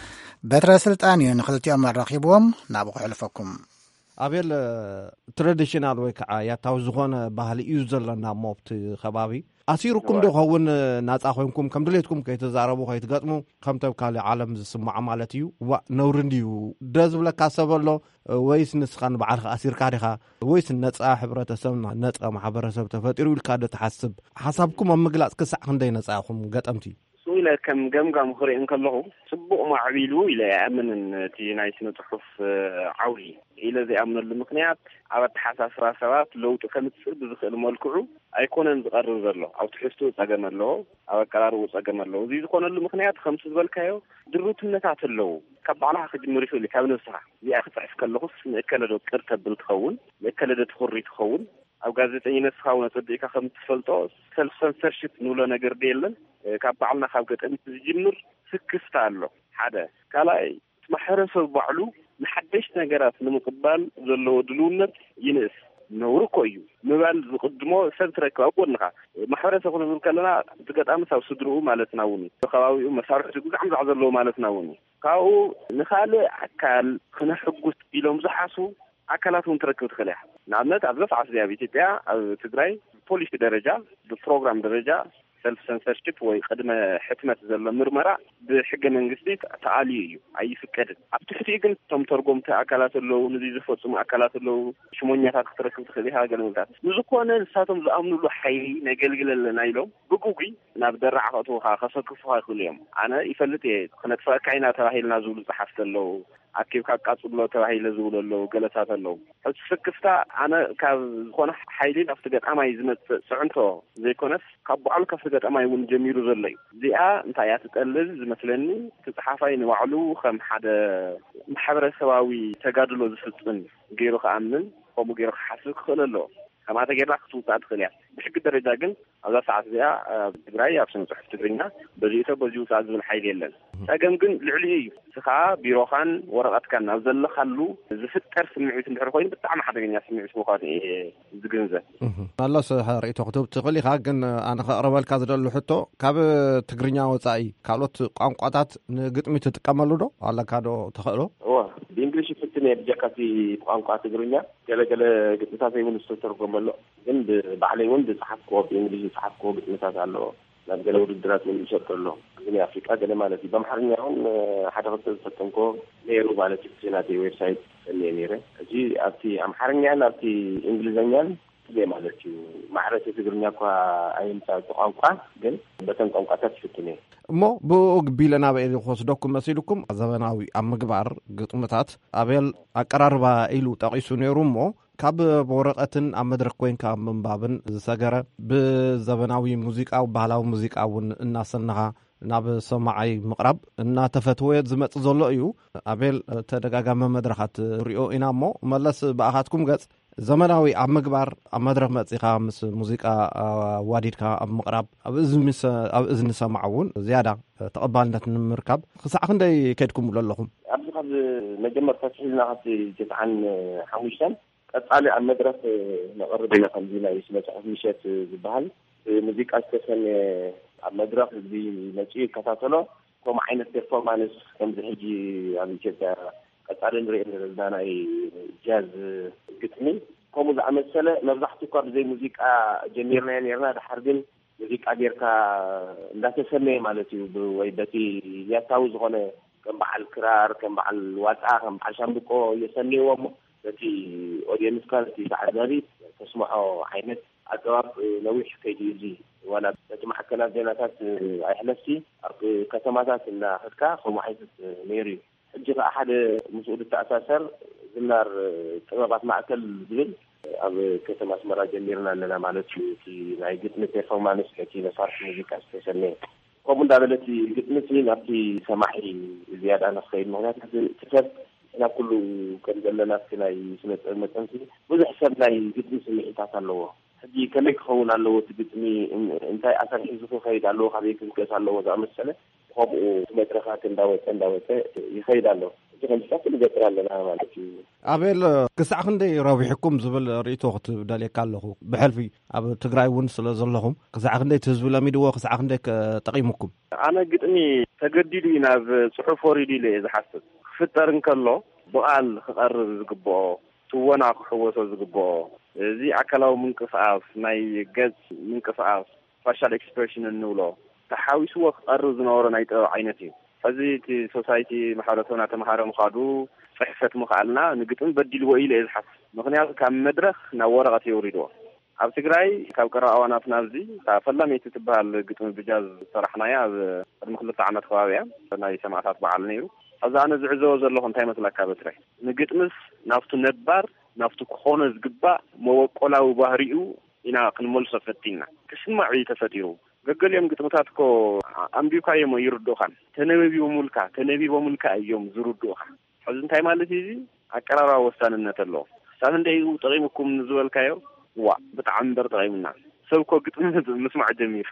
በትረ ስልጣን እዩ ንኽልቲኦም ኣራኺብዎም። ናብኡ ክሕልፈኩም። ኣቤል፣ ትራዲሽናል ወይ ከዓ ያታዊ ዝኾነ ባህሊ እዩ ዘለና እሞ ኣብቲ ከባቢ ኣሲሩኩም ዶ ኸውን? ናፃ ኮይንኩም ከም ድሌትኩም ከይተዛረቡ ከይትገጥሙ፣ ከምቶም ካልእ ዓለም ዝስማዖ ማለት እዩ። ዋእ፣ ነውሪ እንድዩ። ደ ዝብለካ ሰብ ኣሎ ወይስ ንስኻ ንባዕልኻ ኣሲርካ ዲኻ? ወይስ ነፃ ሕብረተሰብ፣ ነፃ ማሕበረሰብ ተፈጢሩ ኢልካ ዶ ትሓስብ? ሓሳብኩም ኣብ ምግላፅ ክሳዕ ክንደይ ነፃ ኢኹም ገጠምቲ? ንሱ ኢለ ከም ገምጋም ክርኢ እንከለኹ፣ ጽቡቕ ማዕቢሉ ኢለ ኣይኣምንን። እቲ ናይ ስነ ጽሑፍ ዓውዲ ኢለ ዘይኣምነሉ ምኽንያት፣ ኣብ ኣተሓሳስባ ሰባት ለውጢ ከምጽእ ብዝኽእል መልክዑ ኣይኮነን ዝቐርብ ዘሎ። ኣብ ትሕዝትኡ ጸገም ኣለዎ፣ ኣብ ኣቀራርብኡ ጸገም ኣለዎ። እዚ ዝኾነሉ ምኽንያት ከምቲ ዝበልካዮ ድሩትነታት ኣለዉ። ካብ ባዕልኻ ክጅምር ይኽእል እዩ፣ ካብ ነብስኻ። እዚኣ ክጽሕፍ ከለኹስ ንእከለ ዶ ቅር ተብል ትኸውን፣ ንእከለ ዶ ትኹሪ ትኸውን? ኣብ ጋዜጠኝነት ስኻ እውን ኣጸቢቕካ ከም እትፈልጦ፣ ሰልፍ ሰንሰርሽፕ ንብሎ ነገር ዶ የለን? ካብ ባዕልና ካብ ገጠሚት ዝጅምር ስክፍታ ኣሎ። ሓደ። ካልኣይ፣ እቲ ማሕበረሰብ ባዕሉ ንሓደሽቲ ነገራት ንምቕባል ዘለዎ ድልውነት ይንእስ። ነውሪ እኮ እዩ ምባል ዝቕድሞ ሰብ ትረክብ ኣብ ጎንኻ። ማሕበረሰብ ክንብል ከለና፣ እቲ ገጣምስ ኣብ ስድርኡ ማለትና እውን እዩ። ከባቢኡ መሳርሕቱ ግዛዕ ምዛዕ ዘለዎ ማለትና እውን እዩ። ካብኡ ንኻልእ ኣካል ክነሕጉስ ኢሎም ዝሓስቡ ኣካላት እውን ትረክብ ትኽእል እያ። ንኣብነት፣ ኣብዛ ሰዓት እዚኣ ኣብ ኢትዮጵያ፣ ኣብ ትግራይ፣ ብፖሊሲ ደረጃ፣ ብፕሮግራም ደረጃ፣ ሰልፍ ሰንሰርሽፕ ወይ ቅድመ ሕትመት ዘሎ ምርመራ ብሕገ መንግስቲ ተኣልዩ እዩ፣ ኣይፍቀድን። ኣብ ትሕቲኡ ግን እቶም ተርጎምቲ ኣካላት ኣለዉ፣ ንዚ ዝፈጽሙ ኣካላት ኣለዉ፣ ሽሞኛታት ክትረክብ ትኽእል ኢኻ፣ ገለ ምልታት። ንዝኾነ ንሳቶም ዝኣምኑሉ ሓይሊ ነገልግል ኣለና ኢሎም ብግጉይ ናብ ደራዕ ከእትዉኻ፣ ከሰክፉኻ ይኽእሉ እዮም። ኣነ ይፈልጥ እየ፣ ክነጥፍኣካ ኢና ተባሂልና ዝብሉ ጸሓፍቲ ኣለዉ። ኣኪብካ ኣቃጽሎ ተባሂለ ዝብሉ ኣለዉ፣ ገለታት ኣለዉ። ሕጂ ስክፍታ ኣነ ካብ ዝኾነ ሓይሊ ናብቲ ገጣማይ ዝመጽእ ጽዕንቶ ዘይኮነስ፣ ካብ ባዕሉ ካብቲ ገጣማይ እውን ጀሚሩ ዘሎ እዩ። እዚኣ እንታይ እያ ትጠልብ ዝመስለኒ፣ እቲ ጸሓፋይ ንባዕሉ ከም ሓደ ማሕበረሰባዊ ተጋድሎ ዝፍጽም ገይሩ ክኣምን፣ ከምኡ ገይሩ ክሓስብ ክኽእል ኣለዎ። ከምኣ ተጌርና ክትውጻእ ትኽእል እያ። ብሕጊ ደረጃ ግን ኣብዛ ሰዓት እዚኣ ኣብ ትግራይ ኣብ ስነ ጽሑፍ ትግርኛ በዚኡ ሰብ በዚኡ ውጻእ ዝብል ሓይሊ የለን። ጸገም ግን ልዕሊኡ እዩ። ንስኻ ቢሮኻን ወረቐትካን ኣብ ዘለኻሉ ዝፍጠር ስምዒት እንድሕር ኮይኑ ብጣዕሚ ሓደገኛ ስምዒት ምዃኑ እየ ዝግንዘብ። እህ፣ መለስ ርኢቶ ክትህብ ትኽእል ኢኻ፣ ግን ኣነ ከቕርበልካ ዝደሊ ሕቶ፣ ካብ ትግርኛ ወጻኢ ካልኦት ቋንቋታት ንግጥሚ ትጥቀመሉ ዶ ኣለካ ዶ ተኽእሎ? እወ፣ ብእንግሊሽ ይፍትን እየ ብጀካ እቲ ቋንቋ ትግርኛ። ገለገለ ግጥምታተይ እውን ዝተተርጎመ ኣሎ። ግን ብባዕለይ እውን ዝጸሓፍክዎ፣ ብእንግሊሽ ዝጸሓፍክዎ ግጥምታት ኣሎ። ናብ ገለ ውድድራት እውን ይሰጥር ኣሎ። ግን ኣፍሪቃ ገለ ማለት እዩ። ብኣምሓርኛ እውን ሓደ ክልተ ዝፈተንክዎ ነይሩ ማለት እዩ። እቲ ናተይ ዌብሳይት ጸኒየ ነይረ። ሕጂ ኣብቲ ኣምሓርኛን ኣብቲ እንግሊዝኛን ትግርኛ ማለት እዩ። ማዕረ እቲ ትግርኛ እኳ ኣይምጻእ እቲ ቋንቋ፣ ግን በተን ቋንቋታት ይፍትን እየ። እሞ ብኡ ግቢለ ናበይ ክወስደኩም መሲልኩም? ዘበናዊ ኣብ ምግባር ግጥምታት ኣቤል ኣቀራርባ ኢሉ ጠቒሱ ነይሩ እሞ፣ ካብ ወረቐትን ኣብ መድረኽ ኮይንካ ኣብ ምንባብን ዝሰገረ፣ ብዘበናዊ ሙዚቃ፣ ባህላዊ ሙዚቃ እውን እናሰነኻ ናብ ሰማዓይ ምቕራብ እናተፈትወ ዝመጽእ ዘሎ እዩ። ኣቤል፣ ተደጋጋሚ መድረኻት ሪኦ ኢና እሞ፣ መለስ ብኣኻትኩም ገጽ ዘመናዊ ኣብ ምግባር፣ ኣብ መድረኽ መጺኻ ምስ ሙዚቃ ኣዋዲድካ ኣብ ምቕራብ፣ ኣብ እዝኒ ሰ-፣ ኣብ እዝኒ ሰማዕ እውን ዝያዳ ተቐባልነት ንምርካብ ክሳዕ ክንደይ ከድኩምሉ ኣለኹም? ኣብዚ ካብ መጀመርታ ኣትሒዝና ካብቲ ትስዓን ሓሙሽተን ቀጻሊ ኣብ መድረኽ ነቕርብ ኢና። ከምዚ ናይ ስነ ጽሑፍ ምሸት ዝበሃል ብሙዚቃ ዝተሰነየ ኣብ መድረኽ ህዝቢ መጺኡ ይከታተሎ። ከምኡ ዓይነት ፐርፎርማንስ ከምዚ ሕጂ ኣብ ኢትዮጵያ ቀጻሊ ንሪኦ ዘለና ናይ ጃዝ ግጥሚ ከምኡ ዝኣመሰለ መብዛሕትኡ እኳ ብዘይ ሙዚቃ ጀሚርናዮ ነርና። ድሓር ግን ሙዚቃ ጌርካ እንዳተሰነየ ማለት እዩ። ብ-፣ ወይ በቲ ያታዊ ዝኾነ ከም በዓል ክራር፣ ከም በዓል ዋጣ፣ ከም በዓል ሻምብቆ የሰንይዎ እሞ በቲ ኦድየንስካ፣ በቲ ተዓዛቢ ተስምዖ ዓይነት ኣገባብ ነዊሕ ከይዱ እዩ። እዚ ዋላ በቲ ማዕከናት ዜናታት ኣይሕለፍሲ ኣብ ከተማታት እናኸድካ ከምኡ ዓይነት ነይሩ እዩ። ሕጂ ከኣ ሓደ ምስኡ ዝተኣሳሰር ዝናር ጥበባት ማእከል ዝብል ኣብ ከተማ ኣስመራ ጀሚርና ኣለና ማለት እዩ። እቲ ናይ ግጥሚ ፐርፎርማንስ ነቲ መሳርሒ ሙዚቃ ዝተሰነየ ከምኡ እንዳበለ እቲ ግጥሚ እቲ ናብቲ ሰማዒ ዝያዳ ንክኸይድ፣ ምኽንያቱ እቲ ሰብ ናብ ኩሉ ከም ዘለና እቲ ናይ ስነ ጥበብ መጠን ብዙሕ ሰብ ናይ ግጥሚ ስምዒታት ኣለዎ። ሕጂ ከመይ ክኸውን ኣለዎ እቲ ግጥሚ፣ እን-፣ እንታይ ኣሰር ሒዙ ክኸይድ ኣለዎ፣ ካበይ ክብገስ ኣለዎ ዝኣመሰለ፣ ከምኡ እቲ መድረኻት እንዳወጸ፣ እንዳወጸ ይኸይድ ኣሎ። ከምስታት ንገጥር ኣለና ማለት እዩ። ኣቤል፣ ክሳዕ ክንደይ ረቢሕኩም ዝብል ርእይቶ ክትደልየካ ኣለኹ። ብሕልፊ ኣብ ትግራይ እውን ስለ ዘለኹም፣ ክሳዕ ክንደይ እቲ ህዝቢ ለሚድዎ፣ ክሳዕ ክንደይ ከ-፣ ጠቒሙኩም? ኣነ ግጥሚ ተገዲዱ እዩ ናብ ጽሑፍ ወሪዱ ኢለ እየ ዝሓስብ። ክፍጠር እንከሎ ብቓል ክቐርብ ዝግብኦ፣ ትወና ክሕወሶ ዝግብኦ፣ እዚ ኣካላዊ ምንቅስቓስ፣ ናይ ገጽ ምንቅስቓስ፣ ፋሻል ኤክስፕሬሽን እንብሎ፣ ተሓዊስዎ ክቐርብ ዝነበሮ ናይ ጥበብ ዓይነት እዩ። ሕዚ እቲ ሶሳይቲ፣ ማሕበረሰብና ተምሃረ ምኻዱ፣ ጽሕፈት ምኽኣልና ንግጥሚ በዲልዎ ኢለ እየ ዝሓስብ። ምኽንያቱ ካብ መድረኽ ናብ ወረቐት የውሪድዎ። ኣብ ትግራይ ካብ ቀረባ እዋናት ናብዚ እታ ፈላመይቲ ትበሃል ግጥሚ ብጃዝ ዝሰራሕናያ ኣብ ቅድሚ ክልተ ዓመት ከባቢ እያ፣ ናይ ሰማእታት በዓል ነይሩ። ሕዚ ኣነ ዝዕዘቦ ዘለኹ እንታይ መስለካ በትረ? ንግጥምስ ናብቱ ነባር፣ ናብቱ ክኾኖ ዝግባእ መበቆላዊ ባህሪኡ ኢና ክንመልሶ ፈቲንና። ክስማዕ እዩ ተፈጢሩ። ገገሊኦም ግጥምታት እኮ ኣንቢብካዮም ይርድኡኻን፣ ተነበቢቦምልካ፣ ተነቢቦምልካ እዮም ዝርድኡኻ። ሕዚ እንታይ ማለት እዩ? እዚ ኣቀራርባ ወሳንነት ኣለዎ። ክሳብ ክንደይ እዩ ጠቒሙኩም ዝበልካዮ፣ ዋ፣ ብጣዕሚ እምበር ጠቒሙና። ሰብ እኮ ግጥሚ ምስማዕ ጀሚሩ።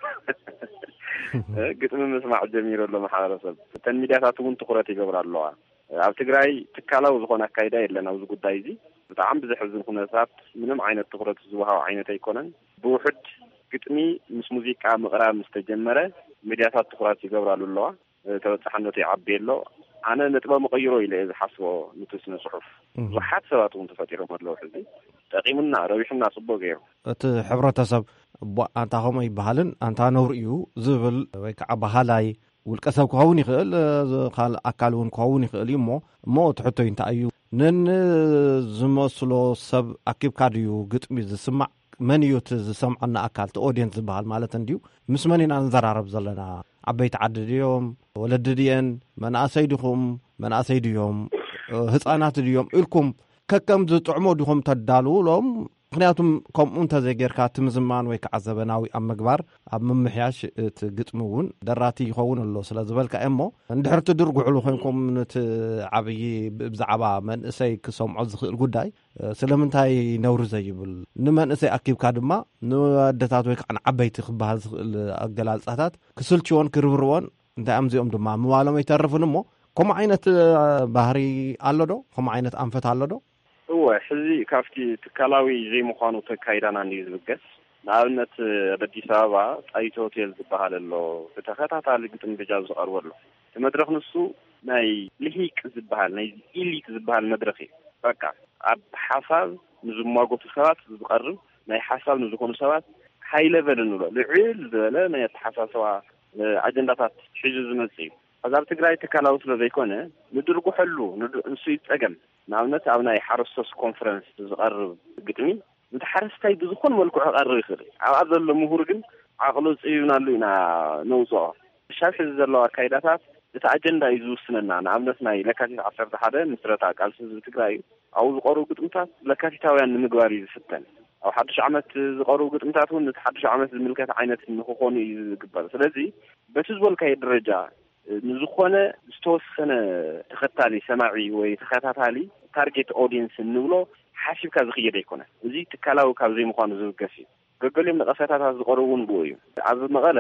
ግጥሚ ምስማዕ ጀሚሩ ኣሎ ማሕበረሰብ። እተን ሚድያታት እውን ትኹረት ይገብራ ኣለዋ። ኣብ ትግራይ ትካላዊ ዝኾነ ኣካይዳ የለን ኣብዚ ጉዳይ እዚ። ብጣዕሚ ብዘሕዝን ኩነታት ምንም ዓይነት ትኹረት ዝወሃብ ዓይነት ኣይኮነን። ብውሑድ ግጥሚ ምስ ሙዚቃ ምቕራብ ምስ ተጀመረ፣ ሚድያታት ትኹረት ይገብራሉ ኣለዋ። ተበጻሕነቱ ይዓቢ ኣሎ። ኣነ ነጥበ መቐይሮ ኢለ እየ ዝሓስቦ። ንቲ ስነ ጽሑፍ እም። ብዙሓት ሰባት እውን ተፈጢሮም ኣለዉ። ሕዚ ጠቒሙና፣ ረቢሑና፣ ጽቡቅ ገይሩ። እቲ ሕብረተሰብ፣ "እቧ፣ ኣንታ ከምኡ ኣይበሃልን፣ ኣንታ ነውሪ እዩ" ዝብል ወይ ከዓ በሃላይ ውልቀ ሰብ ክኸውን ይኽእል፣ እ፣ ዝ-፣ ካልእ ኣካል እውን ክኸውን ይኽእል እዩ። እሞ፣ እሞ እቲ ሕቶይ እንታይ እዩ? ነንዝመስሎ ሰብ ኣኪብካ ድዩ ግጥሚ ዝስማዕ? መን እዩ እቲ ዝሰምዐና ኣካል፣ እቲ ኦድየንስ ዝበሃል ማለት እንድዩ? ምስ መን ኢና ንዘራረብ ዘለና? ዓበይቲ ዓዲ ድዮም? ወለዲ ድየን? መናእሰይ ዲኹም? መናእሰይ ድዮም? እ፣ ህፃናት ድዮም? ኢልኩም ከከም ዝጥዕሞ ዲኹም ተዳልውሎም? ምኽንያቱም ከምኡ እንተዘይጌርካ፣ እቲ ምዝማን ወይ ከዓ ዘበናዊ ኣብ ምግባር፣ ኣብ ምምሕያሽ እቲ ግጥሚ እውን ደራቲ ይኸውን ኣሎ ስለ ዝበልካ እየ። እሞ እንድሕር ትድርጉሕሉ ኮይንኩም፣ ነቲ ዓብዪ ብ-፣ ብዛዕባ መንእሰይ ክሰምዖ ዝኽእል ጉዳይ፣ እ፣ ስለምንታይ ነውሪ ዘይብል? ንመንእሰይ ኣኪብካ ድማ ንኣደታት ወይ ከዓ ንዓበይቲ ክበሃል ዝኽእል ኣገላልጻታት ክስልችዎን ክርብርዎን፣ እንታይ ኣምዚኦም ድማ ምባሎም ኣይተርፍን። እሞ ከምኡ ዓይነት፣ እ፣ ባህሪ ኣሎ ዶ? ከምኡ ዓይነት ኣንፈት ኣሎ ዶ? እወ፣ ሕዚ ካብቲ ትካላዊ ዘይምዃኑ ተካይዳና እንድዩ ዝብገስ። ንኣብነት፣ ኣብ ኣዲስ ኣበባ ጣይቱ ሆቴል ዝበሃል ኣሎ፣ ብተኸታታሊ ግጥሚ ብጃዝ ዝቐርበሉ። እቲ መድረኽ ንሱ ናይ ልሂቅ ዝበሃል፣ ናይ ኢሊት ዝበሃል መድረኽ እዩ። በቃ፣ ኣብ ሓሳብ ንዝሟገቱ ሰባት ዝቐርብ፣ ናይ ሓሳብ ንዝኾኑ ሰባት ሃይ ለቨል እንብሎ፣ ልዕል ዝበለ ናይ ኣተሓሳስባ፣ እ፣ ኣጀንዳታት ሒዙ ዝመጽእ እዩ። ሕዚ ኣብ ትግራይ ትካላዊ ስለ ዘይኮነ፣ ንድርጉሐሉ፣ ንድ-፣ ንሱ እዩ ጸገም። ንኣብነት፣ ኣብ ናይ ሓረስቶስ ኮንፈረንስ ዝቐርብ ግጥሚ፣ ነቲ ሓረስታይ ብዝኾነ መልክዑ ክቐርብ ይኽእል እዩ። ኣብኣ ዘሎ ምሁር ግን ዓቕሉ ጽቢብናሉ ኢና ነውጽኦ። ክሻብ ሕዚ ዘለዋ ኣካይዳታት እቲ ኣጀንዳ እዩ ዝውስነና። ንኣብነት፣ ናይ ለካቲት ዓሰርተ ሓደ ምስረታ ቃልሲ ህዝቢ ትግራይ እዩ። ኣብኡ ዝቐርቡ ግጥምታት ለካቲታውያን ንምግባር እዩ ዝፍተን። ኣብ ሓድሽ ዓመት ዝቐርቡ ግጥምታት እውን ነቲ ሓድሽ ዓመት ዝምልከት ዓይነት ንክኾኑ እዩ ዝግበር። ስለዚ፣ በቲ ዝበልካዮ ደረጃ፣ ንዝኾነ ዝተወሰነ ተኸታሊ፣ ሰማዒ ወይ ተኸታታሊ፣ ታርጌት ኦዲየንስ እንብሎ፣ ሓሲብካ ዝኽየድ ኣይኮነን። እዚ ትካላዊ ካብ ዘይምዃኑ ዝብገስ እዩ። ገገሊኦም ነቐፈታታት ዝቐርቡ እውን ብኡ እዩ። ኣብ መቐለ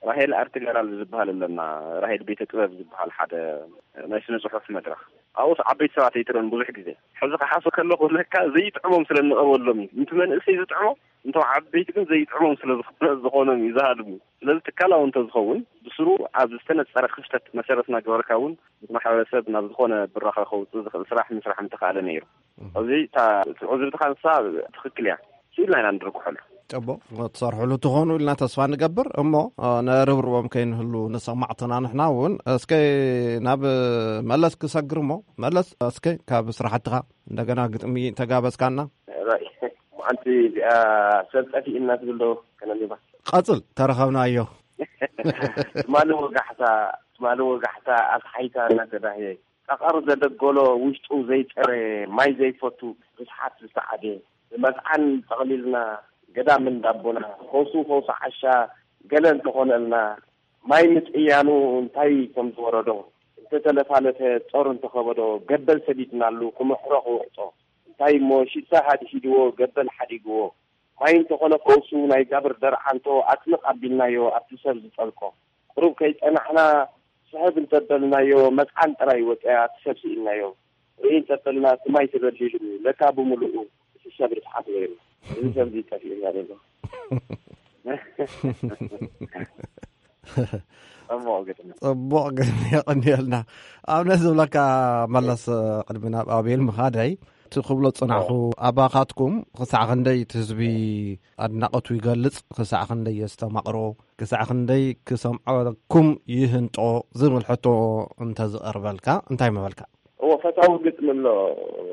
ራሄል ኣርት ጋላሪ ዝበሃል ኣለና፣ ራሄል ቤተ ጥበብ ዝበሃል ሓደ ናይ ስነ ጽሑፍ መድረኽ። ኣብኡስ ዓበይቲ ሰባት ኣይትርእን ብዙሕ ግዜ። ሕዚ ክሓስብ ከለኹ ለካ ዘይጥዕሞም ስለ እንቐርበሎም እዩ። ነቲ መንእሰይ ዝጥዕሞ፣ እንቶም ዓበይቲ ግን ዘይጥዕሞም ስለ ዝኾነ-፣ ዝኾኖም እዩ ዝሃድሙ። ስለዚ ትካላዊ እንተዝኸውን፣ ብስሩ ኣብ ዝተነጸረ ክፍተት መሰረት እናገበርካ እውን፣ ምስ ማሕበረሰብ ናብ ዝኾነ ብራኸ ከውጽእ ዝኽእል ስራሕ ምስራሕ ምተኻእለ ነይሩ። እም። እዚ እታ፣ እቲ ዕዝብትኻ ንሳ ትኽክል እያ። ስኢልና ኢና ንድርግሐሉ። ጽቡቕ፣ ክትሰርሕሉ ትኾኑ ኢልና ተስፋ ንገብር። እሞ፣ እ፣ ነርብርቦም ከይንህሉ ንሰማዕትና ንሕና እውን። እስከ ናብ መለስ ክሰግር እሞ፣ መለስ፣ እስከ ካብ ስራሕትኻ እንደገና ግጥሚ ተጋበዝካና። ራይ፣ ሓንቲ እዚኣ ሰብ ጠፊእና ትብል ዶ ከነንብባ? ቀጽል፣ ተረኸብናዮ። ትማሊ ወጋሕታ፣ ትማሊ ወጋሕታ ኣስሓይታ እናተዳህየ፣ ጠቐር ዘደጎሎ ውሽጡ ዘይጸረ፣ ማይ ዘይፈቱ፣ ርስሓት ዝሰዓበ፣ ብመጽዓን ጠቕሊልና፣ ገዳም እንዳቦና፣ ፈውሱ ፈውሲ ዓሻ፣ ገለ እንተኾነልና፣ ማይ ምጥያኑ እንታይ ከም ዝወረዶ፣ እንተተለፋለፈ ጾር እንተኸበዶ፣ ገበል ሰዲድናሉ ክምሕሮ ክውዕጦ፣ እንታይ እሞ ሽታ ሃድሂድዎ፣ ገበል ሓዲግዎ፣ ማይ እንተኾነ ፈውሱ ናይ ጋብር ደርዓንቶ ኣጽንቕ ኣቢልናዮ ኣብቲ ሰብ ዝጠልቆ። ቁሩብ ከይጸናሕና ስሕብ እንተበልናዮ መጽዓን ጥራይ ወጽያ እቲ ሰብ ስኢልናዮ። ርኢ እንተበልና እቲ ማይ ተበሊሉ ለካ ብምሉኡ እቲ ሰብ ርስሓት ነይሩ። እዚ ሰብ እዚ ጠፊኡና ዘሎ። ጽቡቕ ግጥሚ። ጽቡቕ ግጥሚ፣ የቐንየልና። ኣብነት ዝብለካ መለስ፣ ቅድሚ ናብ ኣቤል ምኻደይ እቲ ክብሎ ጽናሕኹ፣ ኣባኻትኩም ክሳዕ ክንደይ እቲ ህዝቢ ኣድናቐቱ ይገልጽ፣ ክሳዕ ክንደይ የስተማቕሮ፣ ክሳዕ ክንደይ ክሰምዐኩም ይህንጦ ዝብል ሕቶ እንተዝቐርበልካ እንታይ ምበልካ? እዎ፣ ፈታዊ ግጥሚ ኣሎ።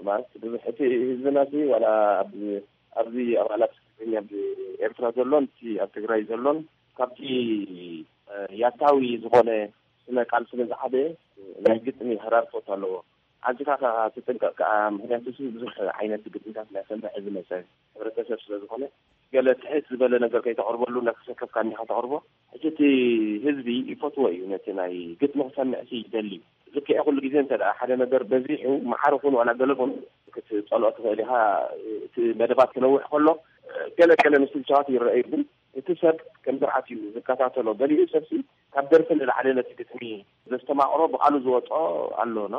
ማለት ብዙሕ እቲ ህዝብና ሲ ዋላ ኣብ-፣ ኣብዚ ኣባላት ትግርኛ ኣብ ኤርትራ ዘሎን እቲ ኣብ ትግራይ ዘሎን ካብቲ፣ እ፣ ያታዊ ዝኾነ ስነ ቃል ስለ ዝዓበየ ናይ ግጥሚ ህራርቶት ኣለዎ። ኣዚኻ ከኣ ትጥንቀቕ ከኣ፣ ምኽንያቱ ሲ ብዙሕ ዓይነት ግጥምታት ናይ ሰምዕ ዝመጸ ሕብረተሰብ ስለ ዝኾነ፣ ገለ ትሕት ዝበለ ነገር ከይተቕርበሉ እናተሰከፍካ እንዲኻ ተቕርቦ። ሕጂ እቲ ህዝቢ ይፈትዎ እዩ ነቲ ናይ ግጥሚ ክሰምዕ ሲ ይደሊ። ዝከየ ኩሉ ግዜ እንተ ደኣ ሓደ ነገር በዚሑ፣ መዓረ ኩን ዋላ ገለ ኩን ክትጸልኦ ትኽእል ኢኻ። እቲ መደባት ክነውሕ ከሎ፣ ገለ ገለ ምስልቻዋት ይረኣዩ፣ ግን እቲ ሰብ ከም ስርዓት እዩ ዝከታተሎ። ገሊኡ ሰብ ሲ ካብ ደርፊ ንላዕሊ ነቲ ግጥሚ ዘስተማቕሮ ብቓሉ ዝወጦ ኣሎ፣ ኖ?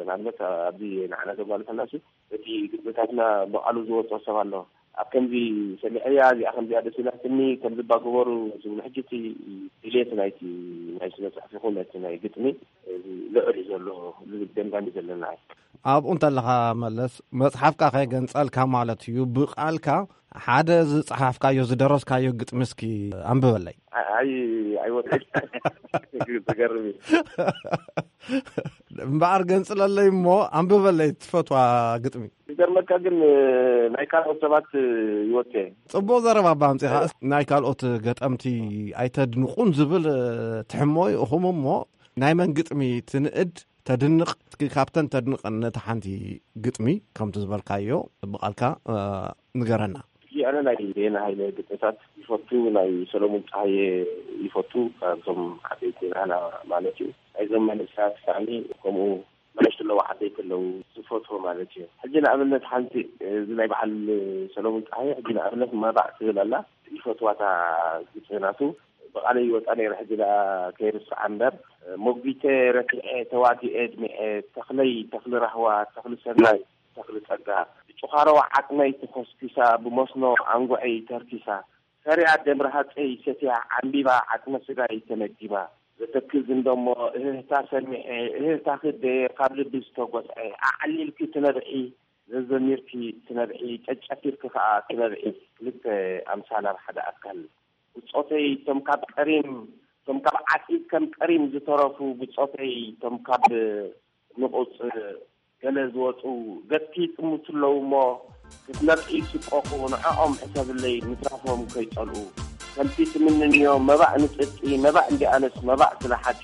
ንኣብነት ኣብዚ ንዓና ዘጓልፈና ሲ እቲ ግጥምታትና ብቓሉ ዝወጦ ሰብ ኣሎ። ኣብ ከምዚ ሰሚዐያ፣ እዚኣ ከምዚኣ ደስ ኢላትኒ፣ ከምዚ እባ ግበሩ ዝብሉ። ሕጂ እቲ ድሌት ናይቲ ናይ ስነ ጽሑፍ ይኹን እቲ ናይ ግጥሚ ልዑል እዩ ዘሎ ዝብል ገምጋም እዩ ዘለና። ኣብኡ እንተለኻ መለስ፣ መጽሓፍካ ከይገንጸልካ ማለት እዩ፣ ብቓልካ ሓደ ዝጸሓፍካዮ ዝደረስካዮ ግጥሚ እስኪ ኣንብበለይ። ኣይ-፣ ኣይ-፣ ኣይወድቅን። ትገርም እዩ። እምበኣር ገንጽለለይ እሞ ኣንብበለይ ትፈትዋ ግጥሚ። ይገርመካ ግን፣ ናይ ካልኦት ሰባት ይወጽእ። ጽቡቕ ዘረባ እባ ኣምጺኻ። ናይ ካልኦት ገጠምቲ ኣይተድንቑን ዝብል ትሕሞ እዩ። እኹም እሞ ናይ መን ግጥሚ ትንእድ፣ ተድንቕ? እስኪ ካብተን ተድንቐን ነታ ሓንቲ ግጥሚ ከምቲ ዝበልካዮ ብቓልካ፣ እ፣ ንገረና። ኣነ ናይ በየነ ሃይለ ግጥምታት ይፈቱ፣ ናይ ሰሎሙን ጸሃየ ይፈቱ፣ ካብቶም ዓበይቲ ናህና ማለት እዩ። ናይዞም መንእሰያት ሳእኒ ከምኡ ንኣሽቱ ኣለዉ፣ ዓበይቲ ኣለዉ፣ ዝፈትዎ ማለት እዩ። ሕጂ ንኣብነት ሓንቲ፣ እዚ ናይ በዓል ሰሎሙን ጸሃየ፣ ሕጂ ንኣብነት መባእ ትብል ኣላ፣ ይፈትዋ እታ ግጥሚ ናቱ። ብቓለይ ይወጻ ነይረ፣ ሕጂ ደኣ ከይርስዓ እምበር። ሞጒተ ረቲዐ፣ ተዋጊኤ ድሚዐ፣ ተኽለይ ተኽሊ ራህዋ፣ ተኽሊ ሰናይ፣ ተኽሊ ጸጋ፣ ብጭዃሮ ዓጽመይ ተኾስኲሳ፣ ብመስኖ ኣንጉዐይ ተርኪሳ፣ ሰሪዓ ደም ረሃጸይ ሰትያ፣ ዓምቢባ ዓጽመ ስጋይ ተመጊባ፣ ዘተክዝ እንደሞ እህህታ ሰሚዐ፣ እህህታኺ ደየ ካብ ልቢ ዝተጎስዐ፣ ኣዕሊልኪ ትነብዒ፣ ዘዘሚርኪ ትነብዒ፣ ጨጨፊርኪ ከኣ ትነብዒ፣ ክልተ ኣምሳል ኣብ ሓደ ኣካል። ብጾተይ፣ እቶም ካብ ቀሪም፣ እቶም ካብ ዓጺድ ከም ቀሪም ዝተረፉ ብጾተይ፣ እቶም ካብ ንቑጽ ገለ ዝወጹ፣ ገጽኪ ይጥምቱ ኣለዉ እሞ፣ ክትነብዒ ይስቀቑ፣ ንዕኦም ሕሰብለይ፣ ምትራፎም ከይጸልኡ። ከምቲ ትምንንዮ መባእ ንጽድቂ፣ መባእ እንዲኣነስ መባእ ስለ ሓቂ።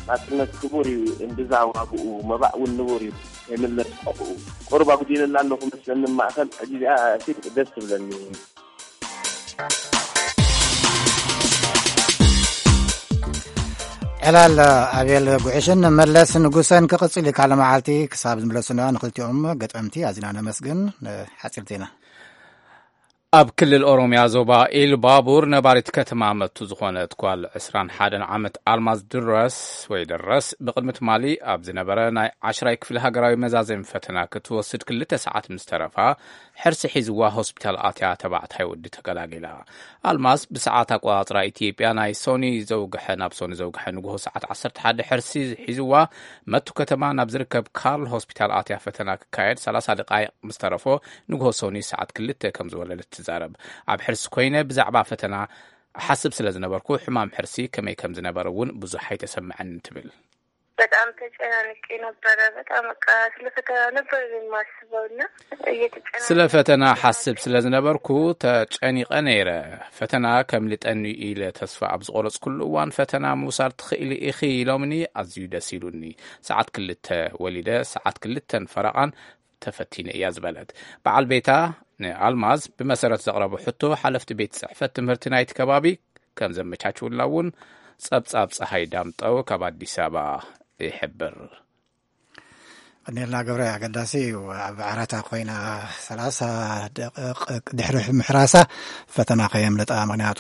ናጽነት ክቡር እዩ እምብዛ ዋግኡ፣ መባእ እውን ንቡር እዩ ከይምለስ ቆብኡ። ቁሩብ ኣጉዲለላ ኣለኹ መስለኒ ማእከል፣ ሕጂ እዚኣ ሲ ደስ ትብለኒ። ዕላል ኣቤል ጉዕሽን መለስ ንጉሰን ክቕጽል እዩ። ካልእ መዓልቲ ክሳብ ዝምለሱና ንኽልቲኦም ገጠምቲ ኣዚና ነመስግን። ሓጺር ዜና። ኣብ ክልል ኦሮምያ ዞባ ኢሉባቡር ነባሪት ከተማ መቱ ዝኾነት ጓል ዕስራን ሓደን ዓመት ኣልማዝ ድረስ ወይ ደረስ ብቕድሚ ትማሊ ኣብ ዝነበረ ናይ ዓሽራይ ክፍሊ ሃገራዊ መዛዘሚ ፈተና ክትወስድ ክልተ ሰዓት ምስ ተረፋ ሕርሲ ሒዝዋ ሆስፒታል ኣትያ ተባዕታይ ወዲ ተገላጊላ። ኣልማዝ ብሰዓት ኣቆጻጽራ ኢትዮጵያ ናይ ሶኒ ዘውግሐ፣ ናብ ሶኒ ዘውግሐ ንግሆ ሰዓት ዓሰርተ ሓደ ሕርሲ ሒዝዋ መቱ ከተማ ናብ ዝርከብ ካርል ሆስፒታል ኣትያ ፈተና ክካየድ ሰላሳ ደቃይቕ ምስ ተረፎ ንግሆ ሶኒ ሰዓት ክልተ ከም ዝወለደት ትዛረብ። ኣብ ሕርሲ ኮይነ ብዛዕባ ፈተና እሓስብ ስለ ዝነበርኩ ሕማም ሕርሲ ከመይ ከም ዝነበረ እውን ብዙሕ ኣይተሰምዐንን ትብል። በጣም ተጨናንቄ ነበረ። በጣም በቃ ስለ ፈተና ነበር የማስበው እና እየተጨናነቅኩ ስለ ፈተና ሓስብ ስለ ዝነበርኩ ተጨኒቐ ነይረ። ፈተና ከምልጠኒ ኢለ ተስፋ ኣብ ዝቆረጽኩሉ እዋን ፈተና ምውሳድ ትኽእሊ ኢኺ ኢሎምኒ ኣዝዩ ደስ ኢሉኒ። ሰዓት ክልተ ወሊደ ሰዓት ክልተን ፈረቓን ተፈቲነ እያ ዝበለት በዓል ቤታ ንኣልማዝ ብመሰረት ዘቕረቦ ሕቶ ሓለፍቲ ቤት ጽሕፈት ትምህርቲ ናይቲ ከባቢ ከም ዘመቻችውላ እውን ጸብጻብ ጸሃይ ዳምጠው ካብ ኣዲስ ኣበባ ይሕብር። ቀኒልና ገብረ፣ ኣገዳሲ እዩ። ኣብ ዓራታ ኮይና ሰላሳ ደቂቕ ድሕሪ ምሕራሳ ፈተና ከየምልጣ፣ ምክንያቱ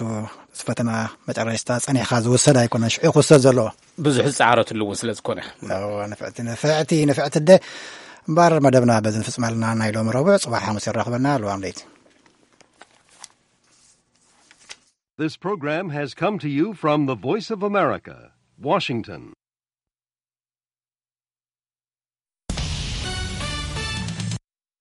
እቲ ፈተና መጨረሽታ ጸኒሕካ ዝውሰድ ኣይኮነን፣ ሽዑ ክውሰድ ዘለዎ። ብዙሕ ዝጸዓረትሉ እውን ስለ ዝኾነ። እዎ፣ ንፍዕቲ ንፍዕቲ ንፍዕቲ ኣደ። እምበኣር መደብና በዚ ንፍጽም ኣለና። ናይ ሎሚ ረቡዕ፣ ጽባሕ ሓሙስ የራኽበና። ልዋም ለይቲ። This program has come to you from the Voice of America, Washington.